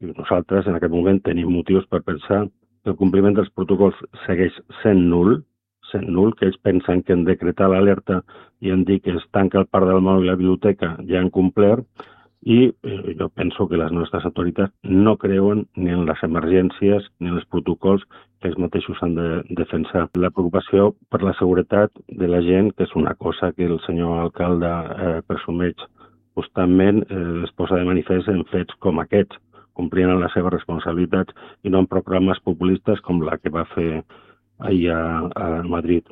I nosaltres en aquest moment tenim motius per pensar que el compliment dels protocols segueix sent nul, que ells pensen que en decretar l'alerta i en dir que es tanca el parc del mòbil i la biblioteca ja han complert, i jo penso que les nostres autoritats no creuen ni en les emergències ni en els protocols que ells mateixos han de defensar. La preocupació per la seguretat de la gent, que és una cosa que el senyor alcalde presumeix constantment, es posa de manifest en fets com aquests, complint les seves responsabilitats i no en proclames populistes com la que va fer ahir a Madrid.